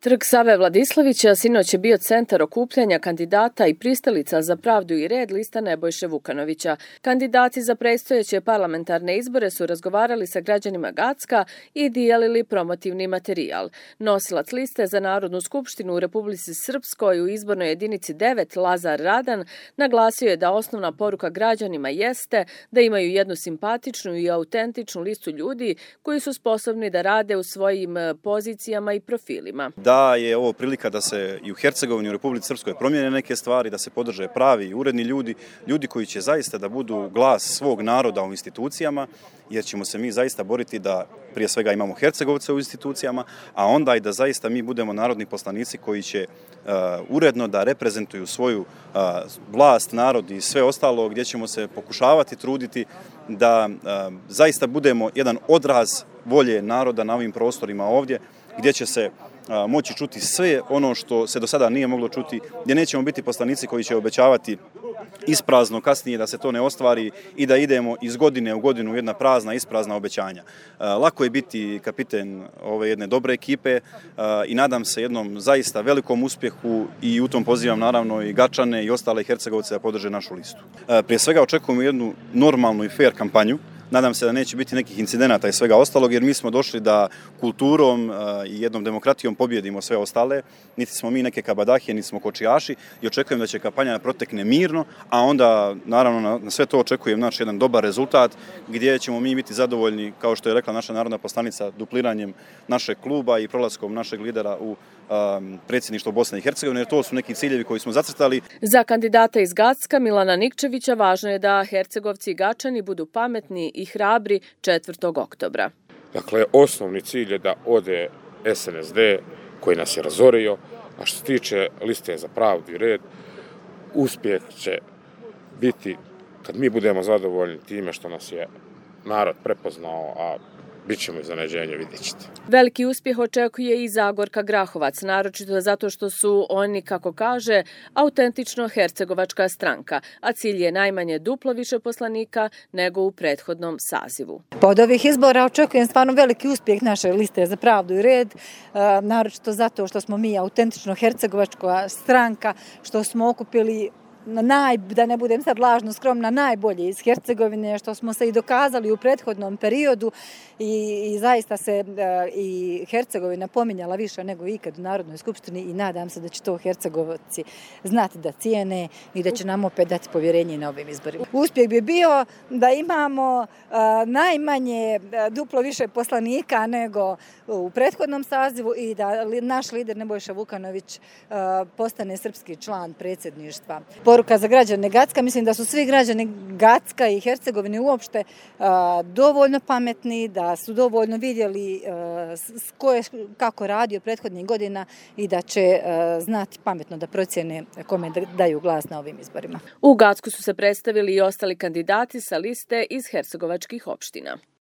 Trg Save Vladislavića sinoć je bio centar okupljanja kandidata i pristalica za pravdu i red lista Nebojše Vukanovića. Kandidati za predstojeće parlamentarne izbore su razgovarali sa građanima Gacka i dijelili promotivni materijal. Nosilac liste za Narodnu skupštinu u Republici Srpskoj u izbornoj jedinici 9 Lazar Radan naglasio je da osnovna poruka građanima jeste da imaju jednu simpatičnu i autentičnu listu ljudi koji su sposobni da rade u svojim pozicijama i profilima. Da je ovo prilika da se i u Hercegovini, u Republici Srpskoj promijene neke stvari, da se podrže pravi i uredni ljudi koji će zaista da budu glas svog naroda u institucijama, jer ćemo se mi zaista boriti da prije svega imamo Hercegovce u institucijama, a onda i da zaista mi budemo narodni poslanici koji će uredno da reprezentuju svoju vlast, narod i sve ostalo, gdje ćemo se pokušavati truditi da zaista budemo jedan odraz volje naroda na ovim prostorima ovdje, gdje će se moći čuti sve ono što se do sada nije moglo čuti, gdje nećemo biti poslanici koji će obećavati isprazno kasnije da se to ne ostvari i da idemo iz godine u godinu jedna prazna, isprazna obećanja. Lako je biti kapiten ove jedne dobre ekipe i nadam se jednom zaista velikom uspjehu i u tom pozivam naravno i Gačane i ostale Hercegovce da podrže našu listu. Prije svega očekujemo jednu normalnu i fair kampanju. Nadam se da neće biti nekih incidenata i svega ostalog, jer mi smo došli da kulturom i jednom demokratijom pobjedimo sve ostale. Niti smo mi neke kabadahije, niti smo kočijaši i očekujem da će kampanja protekne mirno, a onda naravno na sve to očekujem jedan dobar rezultat gdje ćemo mi biti zadovoljni, kao što je rekla naša narodna poslanica, dupliranjem našeg kluba i prolaskom našeg lidera u predsjedništvo Bosne i Hercegovine, jer to su neki ciljevi koji smo zacrtali. Za kandidata iz Gacka Milana Nikčevića važno je da Hercegovci i Gačani budu pametni i hrabri 4. oktobra. Dakle, osnovni cilj je da ode SNSD koji nas je razorio, a što se tiče liste za pravdu i red, uspjeh će biti kad mi budemo zadovoljni time što nas je narod prepoznao, a bit ćemo iznenađenje, vidjet ćete. Veliki uspjeh očekuje i Zagorka Grahovac, naročito zato što su oni, kako kaže, autentično hercegovačka stranka, a cilj je najmanje duplo više poslanika nego u prethodnom sazivu. Od ovih izbora očekujem stvarno veliki uspjeh naše liste za pravdu i red, naročito zato što smo mi autentično hercegovačka stranka, što smo okupili da ne budem sad lažno skromna, najbolje iz Hercegovine, što smo se i dokazali u prethodnom periodu i zaista se i Hercegovina pominjala više nego ikad u Narodnoj skupštini i nadam se da će to Hercegovci znati da cijene i da će nam opet dati povjerenje na ovim izborima. Uspjeh bi bio da imamo najmanje duplo više poslanika nego u prethodnom sazivu i da naš lider Nebojša Vukanović postane srpski član predsjedništva. Poruka za građane Gacka, mislim da su svi građani Gacka i Hercegovine uopšte dovoljno pametni, da su dovoljno vidjeli ko je kako radio prethodnih godina i da će znati pametno da procjene kome daju glas na ovim izborima. U Gacku su se predstavili i ostali kandidati sa liste iz hercegovačkih opština.